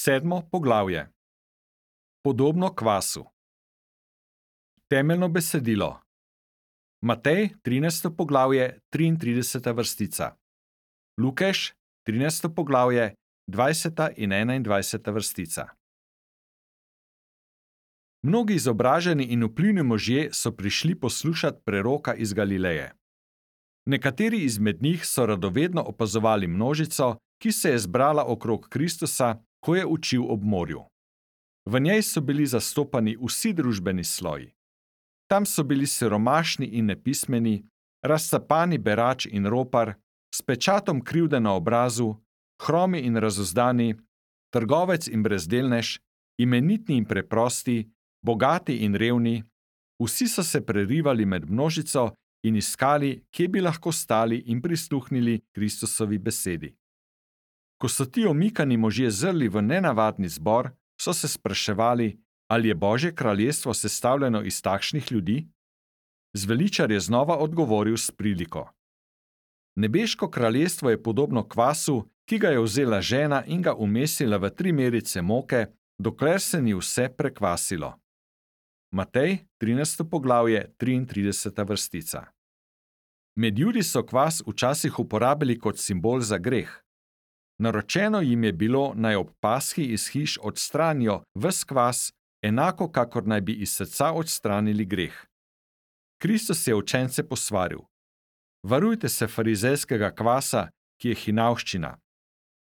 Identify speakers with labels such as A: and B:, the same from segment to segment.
A: 7. poglavje. Podobno kvasu. Temeljno besedilo. Matej, 13. poglavje, 33. vrstica. Lukeš, 13. poglavje, 20. in 21. vrstica. Mnogi izobraženi in vplivni možje so prišli poslušati preroka iz Galileje. Nekateri izmed njih so radovedno opazovali množico, ki se je zbrala okrog Kristusa, ko je učil ob morju. V njej so bili zastopani vsi družbeni sloji. Tam so bili siromašni in nepismeni, razcapani berač in ropar, s pečatom krivde na obrazu, hromi in razuzdani, trgovec in brezdelnež, imenitni in preprosti, bogati in revni, vsi so se prerivali med množico in iskali, kje bi lahko stali in prisluhnili Kristusovi besedi. Ko so ti omikani možje zrli v nenavadni zbor, so se spraševali, ali je Božje kraljestvo sestavljeno iz takšnih ljudi? Zveličar je znova odgovoril s priliko. Nebeško kraljestvo je podobno kvasu, ki ga je vzela žena in ga umesila v 3 merice moke, dokler se ni vse prekvasilo. Matej, 13. poglavje, 33. vrstica. Med Judi so kvas včasih uporabili kot simbol za greh. Naročeno jim je bilo, naj ob pashi iz hiš odstranijo ves kvas, enako kakor naj bi iz srca odstranili greh. Kristus je učence posvaril: Varujte se farizejskega kvasa, ki je hinavščina.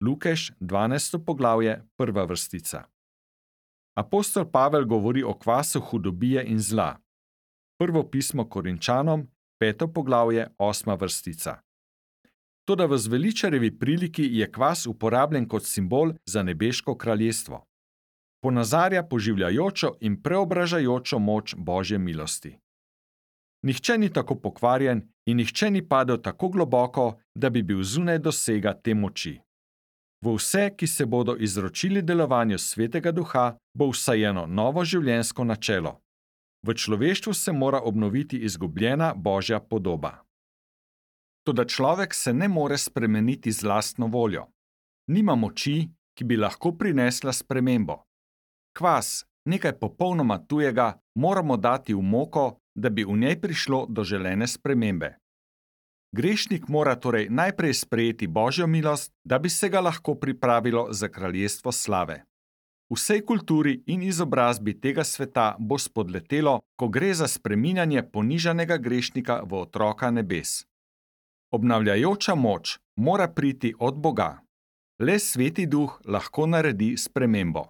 A: Lukeš, 12. poglavje, 1. vrstica. Apostol Pavel govori o kvasu hudobije in zla. Prvo pismo Korinčanom, 5. poglavje, 8. vrstica. Toda v zveličarjevi priliki je kvas uporabljen kot simbol za nebeško kraljestvo. Ponazarja poživljajočo in preobražajočo moč Božje milosti. Nihče ni tako pokvarjen in nihče ni padel tako globoko, da bi bil zunaj dosega te moči. V vse, ki se bodo izročili delovanju Svetega Duha, bo vsajeno novo življenjsko načelo. V človeštvu se mora obnoviti izgubljena Božja podoba. Toda človek se ne more spremeniti z lastno voljo. Nima moči, ki bi lahko prinesla spremembo. Kvas, nekaj popolnoma tujega, moramo dati v moko, da bi v njej prišlo do želene spremembe. Grešnik mora torej najprej sprejeti Božjo milost, da bi se ga lahko pripravilo za kraljestvo slave. Vsej kulturi in izobrazbi tega sveta bo spodletelo, ko gre za spreminjanje ponižanega grešnika v otroka nebes. Obnavljajoča moč mora priti od Boga. Le Sveti Duh lahko naredi spremembo.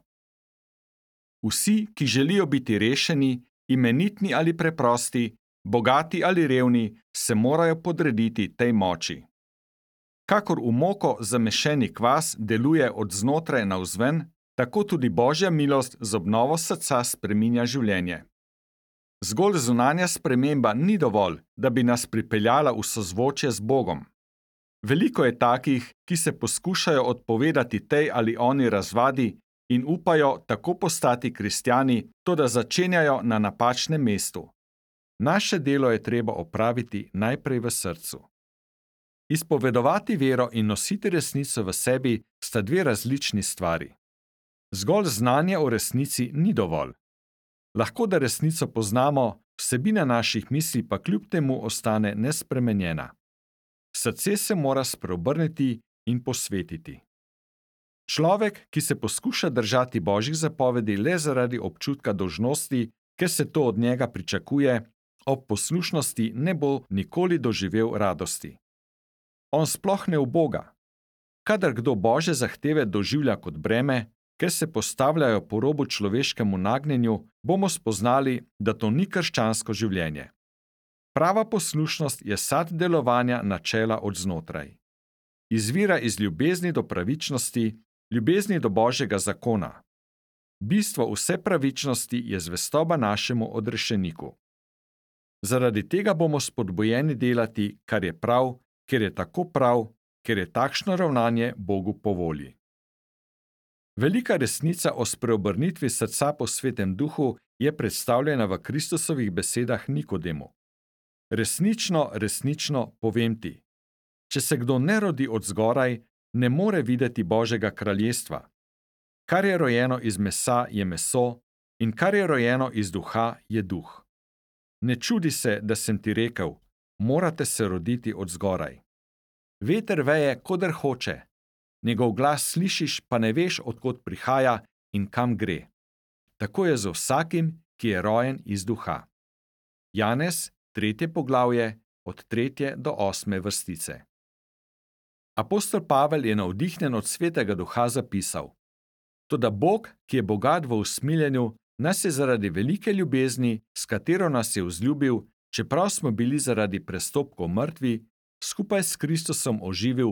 A: Vsi, ki želijo biti rešeni, imenitni ali preprosti, bogati ali revni, se morajo podrediti tej moči. Kakor v moko zamešeni kvas deluje od znotraj navzven, tako tudi Božja milost z obnovo srca spreminja življenje. Zgolj zunanja sprememba ni dovolj, da bi nas pripeljala v sozvočje z Bogom. Veliko je takih, ki se poskušajo odpovedati tej ali oni razvadi in upajo tako postati kristjani, toda začenjajo na napačnem mestu. Naše delo je treba opraviti najprej v srcu. Izpovedovati vero in nositi resnico v sebi sta 2 različni stvari. Zgolj znanje o resnici ni dovolj. Lahko da resnico poznamo, vsebina naših misli pa kljub temu ostane nespremenjena. Srce se mora spreobrniti in posvetiti. Človek, ki se poskuša držati Božjih zapovedi le zaradi občutka dolžnosti, ker se to od njega pričakuje, ob poslušnosti ne bo nikoli doživel radosti. On sploh ne uboga. Kadar kdo Božje zahteve doživlja kot breme, ker se postavljajo po robu človeškemu nagnjenju, bomo spoznali, da to ni krščansko življenje. Prava poslušnost je sad delovanja načela od znotraj. Izvira iz ljubezni do pravičnosti, ljubezni do Božjega zakona. Bistvo vse pravičnosti je zvestoba našemu odrešeniku. Zaradi tega bomo spodbujeni delati, kar je prav, ker je tako prav, ker je takšno ravnanje Bogu po volji. Velika resnica o spreobrnitvi srca po Svetem Duhu je predstavljena v Kristusovih besedah Nikodemu. Resnično, resnično povem ti, če se kdo ne rodi od zgoraj, ne more videti Božjega kraljestva. Kar je rojeno iz mesa, je meso, in kar je rojeno iz duha, je duh. Ne čudi se, da sem ti rekel, morate se roditi od zgoraj. Veter veje, koder hoče, njegov glas slišiš, pa ne veš, od kod prihaja in kam gre. Tako je z vsakim, ki je rojen iz duha. Janez, 3. poglavje, od 3. do 8. vrstice. Apostol Pavel je navdihnjen od Svetega Duha zapisal: Toda Bog, ki je bogat v usmiljenju, nas je zaradi velike ljubezni, s katero nas je vzljubil, čeprav smo bili zaradi prestopkov mrtvi, skupaj s Kristusom oživil,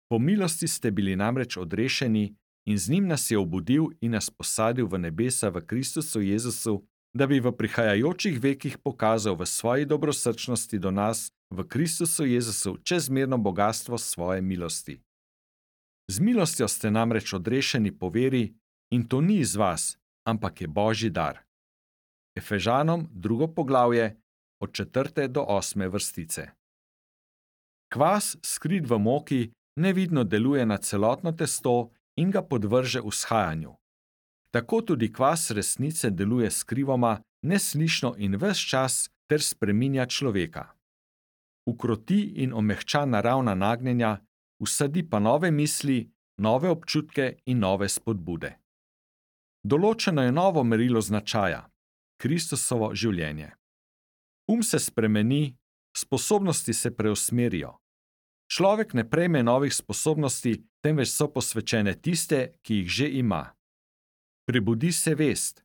A: po milosti ste bili namreč odrešeni in z njim nas je obudil in nas posadil v nebesa v Kristusu Jezusu, da bi v prihajajočih vekih pokazal v svoji dobrosrčnosti do nas v Kristusu Jezusu čezmerno bogastvo svoje milosti. Z milostjo ste namreč odrešeni po veri, in to ni iz vas, ampak je Božji dar. Efežanom 2. poglavje, od 4. do 8. vrstice. Kvas, skrit v moki, nevidno deluje na celotno testo in ga podvrže vzhajanju. Tako tudi kvas resnice deluje skrivoma, neslišno in ves čas ter spreminja človeka. Ukroti in omehča naravna nagnjenja, vsadi pa nove misli, nove občutke in nove spodbude. Določeno je novo merilo značaja – Kristusovo življenje. Se spremeni, sposobnosti se preusmerijo. Človek ne prejme novih sposobnosti, temveč so posvečene tiste, ki jih že ima. Prebudi se vest.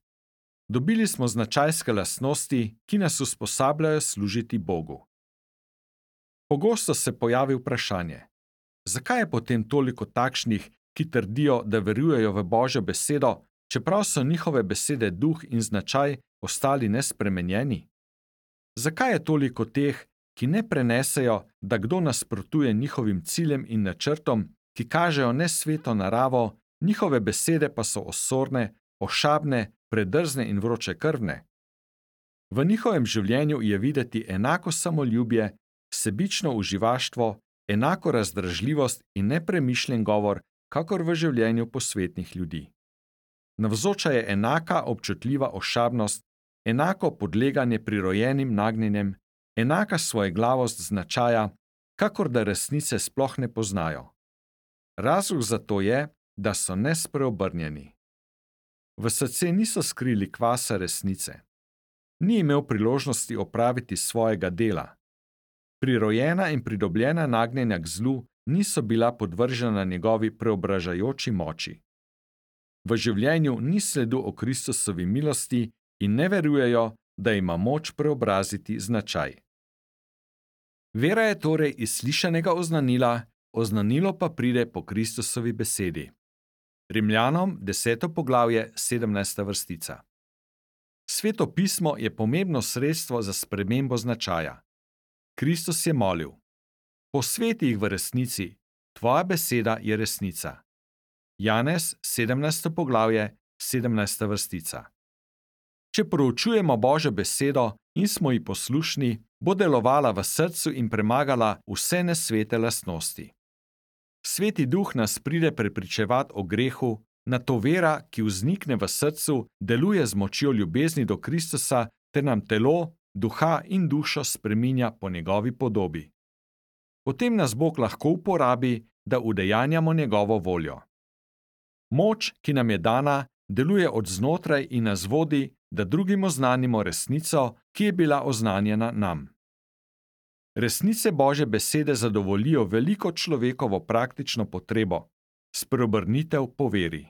A: Dobili smo značajske lastnosti, ki nas usposabljajo služiti Bogu. Pogosto se pojavi vprašanje: zakaj je potem toliko takšnih, ki trdijo, da verujejo v Božjo besedo, čeprav so njihove besede duh in značaj ostali nespremenjeni? Zakaj je toliko teh, ki ne prenesejo, da kdo nasprotuje njihovim ciljem in načrtom, ki kažejo nesveto naravo, njihove besede pa so osorne, ošabne, predrzne in vročekrvne? V njihovem življenju je videti enako samoljubje, sebično uživaštvo, enako razdražljivost in nepremišljen govor, kakor v življenju posvetnih ljudi. Navzoča je enaka občutljiva ošabnost, enako podleganje prirojenim nagnjenjem, enaka svojeglavost značaja, kakor da resnice sploh ne poznajo. Razlog za to je, da so nespreobrnjeni. V srce niso skrili kvasa resnice. Ni imel priložnosti opraviti svojega dela. Prirojena in pridobljena nagnjenja k zlu niso bila podvržena njegovi preobražajoči moči. V življenju ni sledu o Kristusovi milosti in ne verujejo, da ima moč preobraziti značaj. Vera je torej iz slišanega oznanila, oznanilo pa pride po Kristusovi besedi. Rimljanom 10. poglavje 17. vrstica. Sveto pismo je pomembno sredstvo za spremembo značaja. Kristus je molil: posveti jih v resnici, tvoja beseda je resnica. Janez 17. poglavje 17. vrstica. Če proučujemo Božjo besedo in smo ji poslušni, bo delovala v srcu in premagala vse nesvete lastnosti. Sveti duh nas pride prepričevati o grehu, nato vera, ki vznikne v srcu, deluje z močjo ljubezni do Kristusa ter nam telo, duha in dušo spreminja po njegovi podobi. Potem nas Bog lahko uporabi, da udejanjamo njegovo voljo. Moč, ki nam je dana, deluje od znotraj in nas vodi, da drugim oznanimo resnico, ki je bila oznanjena nam. Resnice Božje besede zadovoljijo veliko človekovo praktično potrebo – spreobrnitev po veri.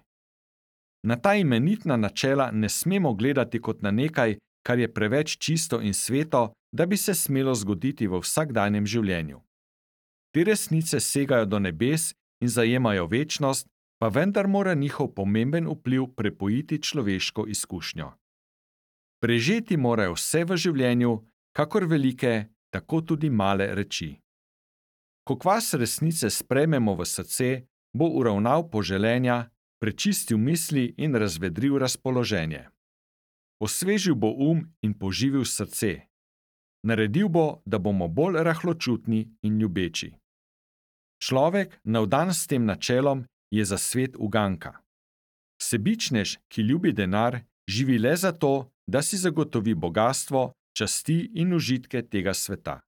A: Na ta imenitna načela ne smemo gledati kot na nekaj, kar je preveč čisto in sveto, da bi se smelo zgoditi v vsakdanjem življenju. Te resnice segajo do nebes in zajemajo večnost, pa vendar mora njihov pomemben vpliv prepojiti človeško izkušnjo. Prežeti morajo vse v življenju, kakor velike, tako tudi male reči. Ko kvas resnice sprejmemo v srce, bo uravnal poželenja, prečistil misli in razvedril razpoloženje. Osvežil bo in poživil srce. Naredil bo, da bomo bolj rahločutni in ljubeči. Človek, navdan s tem načelom, je za svet uganka. Sebičnež, ki ljubi denar, živi le zato, da si zagotovi bogastvo, časti in užitke tega sveta.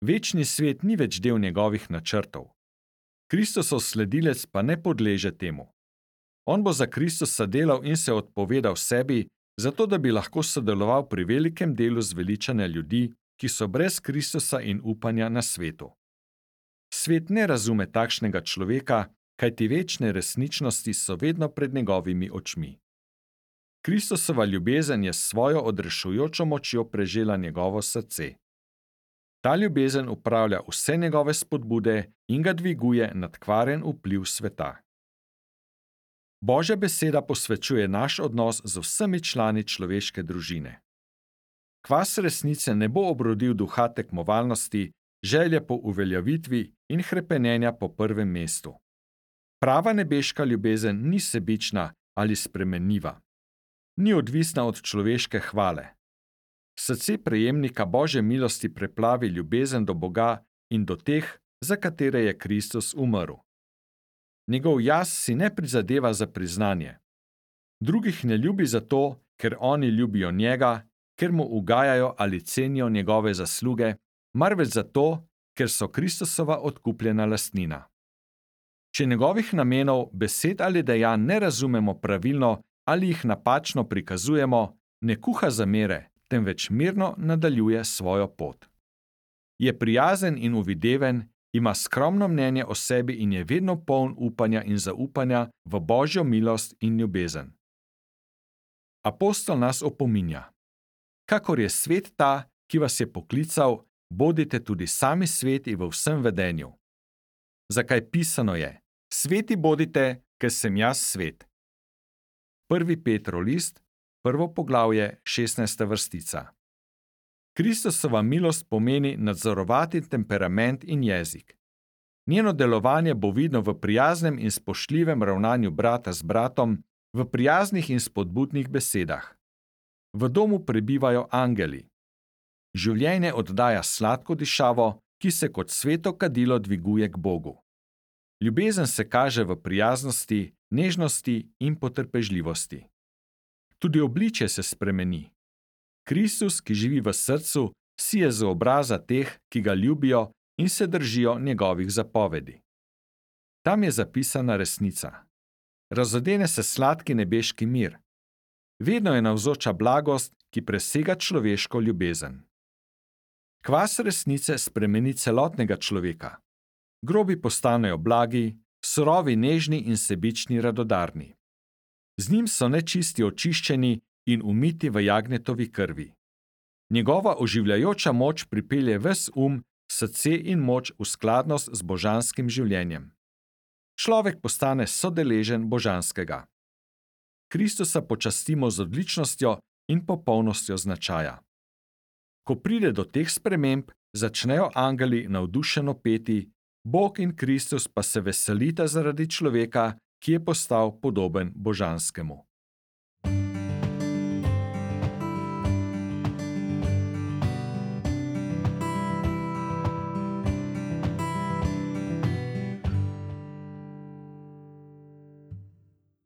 A: Večni svet ni več del njegovih načrtov. Kristusov sledilec pa ne podleže temu. On bo za Kristusa delal in se odpovedal sebi, zato da bi lahko sodeloval pri velikem delu zveličanja ljudi, ki so brez Kristusa in upanja na svetu. Svet ne razume takšnega človeka, kajti večne resničnosti so vedno pred njegovimi očmi. Kristusova ljubezen je s svojo odrešujočo močjo prežela njegovo srce. Ta ljubezen upravlja vse njegove spodbude in ga dviguje nad kvaren vpliv sveta. Božja beseda posvečuje naš odnos z vsemi člani človeške družine. Kvas resnice ne bo obrodil duha tekmovalnosti, želje po uveljavitvi in hrepenenja po prvem mestu. Prava nebeška ljubezen ni sebična ali spremenljiva. Ni odvisna od človeške hvale. Srce prejemnika Božje milosti preplavi ljubezen do Boga in do teh, za katere je Kristus umrl. Njegov jaz si ne prizadeva za priznanje. Drugih ne ljubi zato, ker oni ljubijo njega, ker mu ugajajo ali cenijo njegove zasluge, marveč zato, ker so Kristusova odkupljena lastnina. Če njegovih namenov, besed ali dejanj ne razumemo pravilno ali jih napačno prikazujemo, ne kuha zamere, temveč mirno nadaljuje svojo pot. Je prijazen in uvideven, ima skromno mnenje o sebi in je vedno poln upanja in zaupanja v Božjo milost in ljubezen. Apostol nas opominja: kakor je svet ta, ki vas je poklical, bodite tudi sami sveti v vsem vedenju. Zakaj pisano je: sveti bodite, ker sem jaz svet. 1. Petrov list, 1. poglavje, 16. vrstica. Kristusova milost pomeni nadzorovati temperament in jezik. Njeno delovanje bo vidno v prijaznem in spoštljivem ravnanju brata z bratom, v prijaznih in spodbudnih besedah. V domu prebivajo angeli. Življenje oddaja sladko dišavo, ki se kot sveto kadilo dviguje k Bogu. Ljubezen se kaže v prijaznosti, nežnosti in potrpežljivosti. Tudi obličje se spremeni. Kristus, ki živi v srcu, sije z obraza teh, ki ga ljubijo in se držijo njegovih zapovedi. Tam je zapisana resnica. Razodene se sladki nebeški mir. Vedno je navzoča blagost, ki presega človeško ljubezen. Kvas resnice spremeni celotnega človeka. Grobi postanejo blagi, surovi nežni in sebični radodarni. Z njim so nečisti očiščeni in umiti v jagnjetovi krvi. Njegova oživljajoča moč pripelje ves srce in moč v skladnost z božanskim življenjem. Človek postane sodeležen božanskega. Kristusa počastimo z odličnostjo in popolnostjo značaja. Ko pride do teh sprememb, začnejo angeli navdušeno peti, Bog in Kristus pa se veselita zaradi človeka, ki je postal podoben božanskemu.